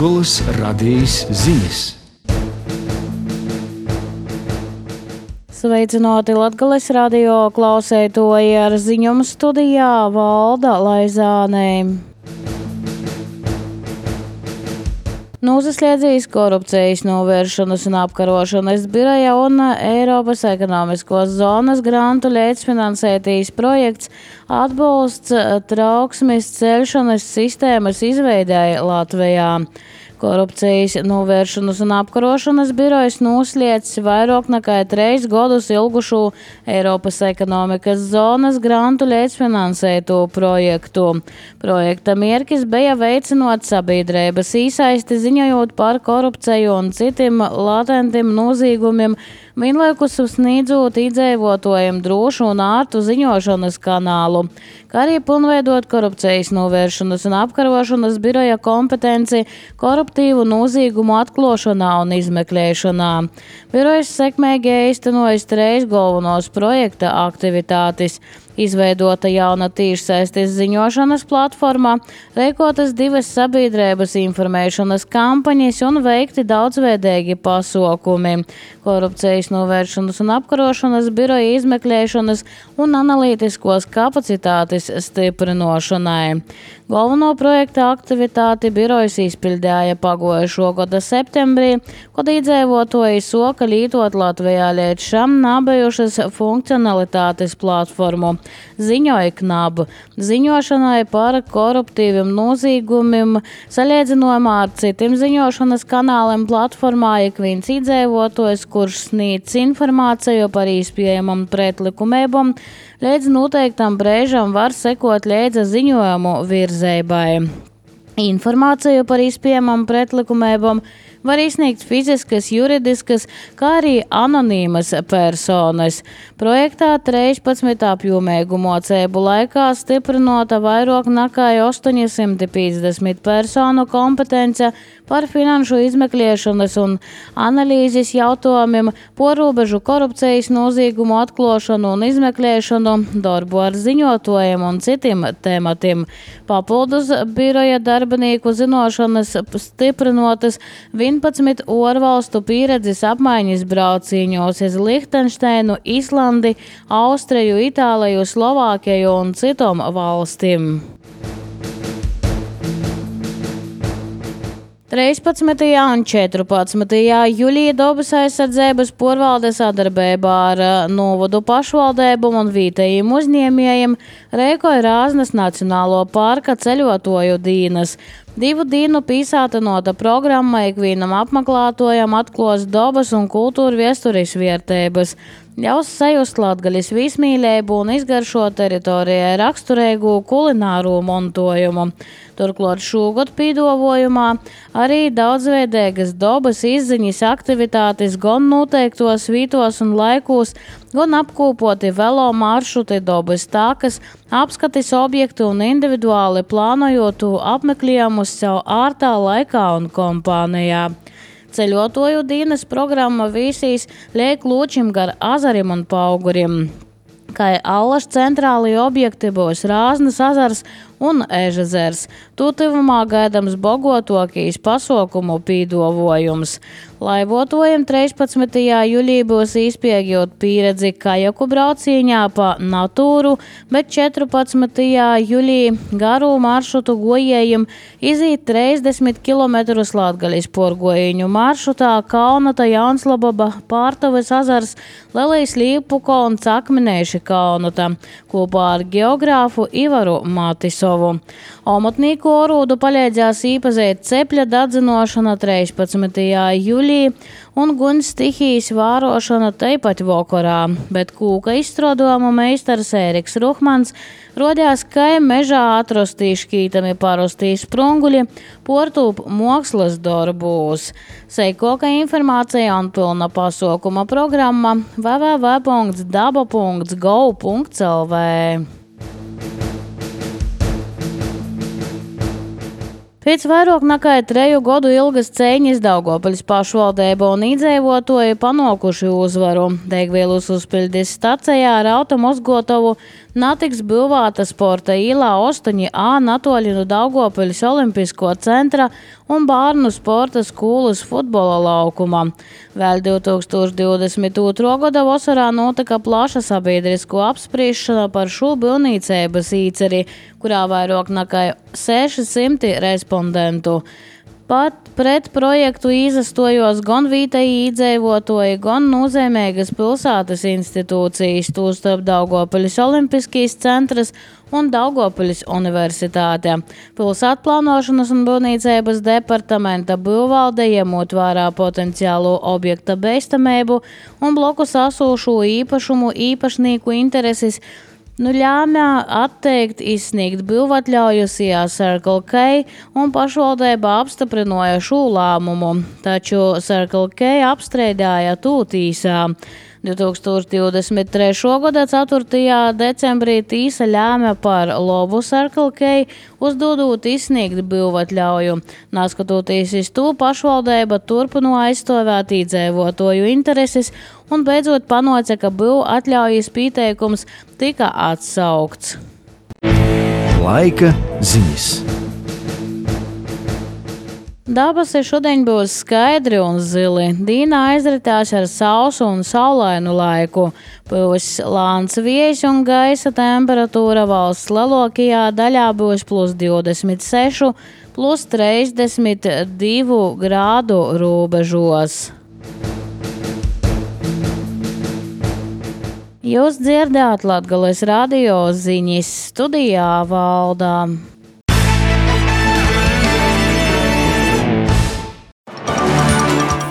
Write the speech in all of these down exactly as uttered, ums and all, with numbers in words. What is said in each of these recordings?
Latgolas radijas ziņas. Sveicināti Latgolas radio klausētoji, ar ziņumu studijā Valda Laizāne. Nūsasliedzīs korupcijas novēršanas un apkarošanas biroja un Eiropas ekonomiskos zonas grantu līdzfinansētīs projekts atbalsts trauksmes celšanas sistēmas izveidei Latvijā. Korupcijas novēršanas un apkarošanas birojas nūsliedzis vairāk nekā trīs gadus ilgušu Eiropas ekonomikas zonas grantu līdzfinansēto projektu. Projekta mērķis bija veicinot sabiedrības īsaisti ziņojot par korupciju un citiem latentiem noziegumiem, vienlaikus sniedzot iedzīvotājiem drošu un ārtu ziņošanas kanālu, kā arī pilnveidot korupcijas novēršanas un apkarošanas biroja kompetenci koruptīvu noziegumu atklāšanā un izmeklēšanā. Birojas sekmīgi īstenojas trīs galvenos projekta aktivitātes. Izveidota jauna tīšsaistes ziņošanas platforma, rīkotas divas sabiedrības informēšanas kampaņas un veikti daudzveidīgi pasākumi. Korupcijas novēršanas un apkarošanas biroja izmeklēšanas un analītiskos kapacitātes stiprinošanai. Galveno projekta aktivitāti birojas izpildīja pagājušo gada septembrī, kad iedzīvotāji soka lietot Latvijā līdz šam nabijušas funkcionalitātes platformu. Ziņoja knabu ziņošanai par koruptīviem noziegumiem, salīdzinājumā ar citiem ziņošanas kanāliem platformā ik viens iedzīvotājs, kurš sniedz informāciju par iespējamām pretlikumībām, līdz noteiktam brīžam var sekot līdzi ziņojumu virzeibai. Informāciju par iespējamām pretlikumībām var izsniegt fiziskas, juridiskas, kā arī anonīmas personas. Projektā trīspadsmit apjomīgu mocību laikā stiprinota vairāk nekā astoņsimt piecdesmit personu kompetence par finanšu izmeklēšanas un analīzes jautājumiem, porūbežu korupcijas noziegumu atklāšanu un izmeklēšanu, darbu ar ziņotājiem un citiem tematiem. Papildus biroja darbinieku zināšanas stiprinotas vienpadsmit ārvalstu pieredzes apmaiņas brauciņos uz Lihtenšteinu, Islandi, Austriju, Itāliju, Slovākiju un citām valstīm. trīspadsmitajā un četrpadsmitajā jūlijā dabas aizsardzības porvalde sadarbībā ar novadu pašvaldību un vietējiem uzņēmējiem rīkoja Rāznas Nacionālo parka ceļotāju dienas. Divu dienu pīsātinota programma ikvienam apmeklētājam atklās dabas un kultūra vēstures vērtības, ļaus sajust Latgaļas vismīlību un izgaršot teritorijai raksturīgu kulināro montojumu. Turklāt šogad pīdovojumā arī daudzveidīgas dabas izziņas aktivitātes gan noteiktos vītos un laikos, gan apkopoti velo maršruti dabas takas, apskatis objektu un individuāli plānojotu apmeklējumus sev ārtā laikā un kompānijā. Ceļotāju dienas programma visīs liek lūčim gar azarim un paugurim. Kā allaž centrāli objekti būs Rāznas ezers un Ežezers. Tūtuvumā gaidams bogotokīs pasaukumu pīdovojums. Laivotājiem trīspadsmitajā jūlijā būs izpēģot pieredzi kajaku braucienā pa Natūru, bet četrpadsmitajā jūlijā garu maršrutu gojējiem izīt trīsdesmit kilometrus Latgaļas porgojiņu maršrutā Kaunata, Jaunslababa, Pārtavas ezers, Lelijas Līpuko un Cakminēši Kaunata, kopā ar geogrāfu Ivaru Matisovu. Omotnīku orūdu palīdzēs īpazīt cepļa dadzinošana trīspadsmitajā jūlijā un guņas stihijas vārošana teipat vokorā, bet kūka izstrādājumu meistars Ēriks Ruhmans rodās, ka mežā atrostīs šķītami parostīs sprunguļi, portūp mākslas darbūs. Seikoka informācija un pilna pasaukuma programma w w w punkts daba punkts gov punkts l v. Pēc vairāk nekā treju gadu ilgas cīņas Daugavpils pašvaldība un iedzīvotāji panākuši uzvaru. Degvielas uzpildes stacijā ar automozgotavu Natiks būvēta sporta īlā astoņi A natoļi no Daugopiļas olimpisko centra un bērnu sporta skolas futbola laukumā. Vēl divtūkstoš divdesmit otrā gada vasarā notika plaša sabiedrisko apspriešana par šo būvniecības īceri, kurā vairāk nekā seši simti respondentu. Pat pret projektu izastojos gan vietēji iedzīvotāji, gan nozīmīgas pilsētas institūcijas, tostarp Daugopiļas olimpiskais centrs un Daugopiļas universitāte. Pilsētplānošanas un būvniecības departamenta būvvalde, ņemot vērā potenciālo objekta bīstamību un blokus esošo īpašumu īpašnieku intereses, Nu ļāmā atteikt izsniegt būvatļaujusijā Circle K un pašvaldība apstiprināja šo lēmumu, taču Circle K apstrīdēja to tīsā. divtūkstoš divdesmit trešā gada ceturtajā decembrī tīsa ļāma par labu Circle K, uzdodot izsniegt būvatļauju. Neskatoties uz to, pašvaldība turpināja aizstāvēt iedzīvotāju intereses un beidzot panāca, ka būvatļaujas pieteikums tika atsaukts. Laika ziņas. Dabasi šodien būs skaidri un zili. Dīna aizritās ar sausu un saulainu laiku. Būs lāns viejs un gaisa temperatūra valsts lielākajā daļā būs plus divdesmit seši, plus trīsdesmit divi grādu robežos. Jūs dzirdējāt Latgales radio ziņas, studijā Valdā.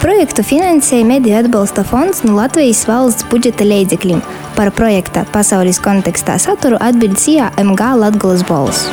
Projektu finansēja Mediju atbalsta fonds no Latvijas valsts budžeta līdzekļiem. Par projekta pasaules kontekstā saturu atbildēja M G Latgales balss.